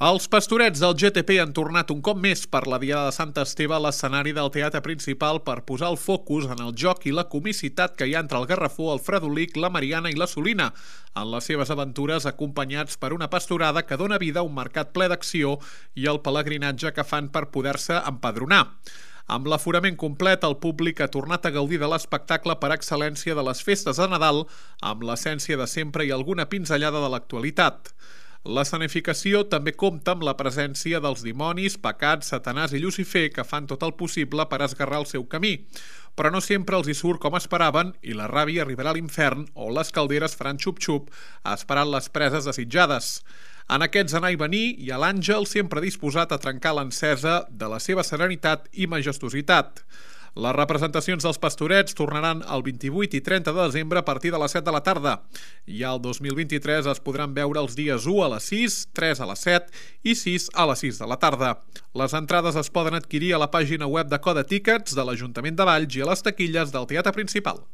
Els Pastorets del GTP han tornat un cop més per la Diada de Sant Esteve a l'escenari del teatre principal per posar el focus en el joc i la comicitat que hi ha entre el Garrafó, el Fredolic, la Mariana i la Solina, en les seves aventures acompanyats per una pastorada que dona vida a un mercat ple d'acció i el pelegrinatge que fan per poder-se empadronar. Amb l'aforament complet, el públic ha tornat a gaudir de l'espectacle per excel·lència de les festes de Nadal, amb l'essència de sempre i alguna pinzellada de l'actualitat. L'escenificació també compta amb la presència dels dimonis, pecats, Satanàs i Llucifer que fan tot el possible per esgarrar el seu camí. Però no sempre els hi surt com esperaven i la ràbia arribarà a l'infern o les calderes faran xup-xup esperant les preses desitjades. En aquests anar i venir hi ha l'àngel sempre disposat a trencar l'encesa de la seva serenitat i majestositat. Les representacions dels Pastorets tornaran el 28 i 30 de desembre a partir de les 7 de la tarda. I al 2023 es podran veure els dies 1 a les 6, 3 a les 7 i 6 a les 6 de la tarda. Les entrades es poden adquirir a la pàgina web de Code Tickets de l'Ajuntament de Valls i a les taquilles del Teatre Principal.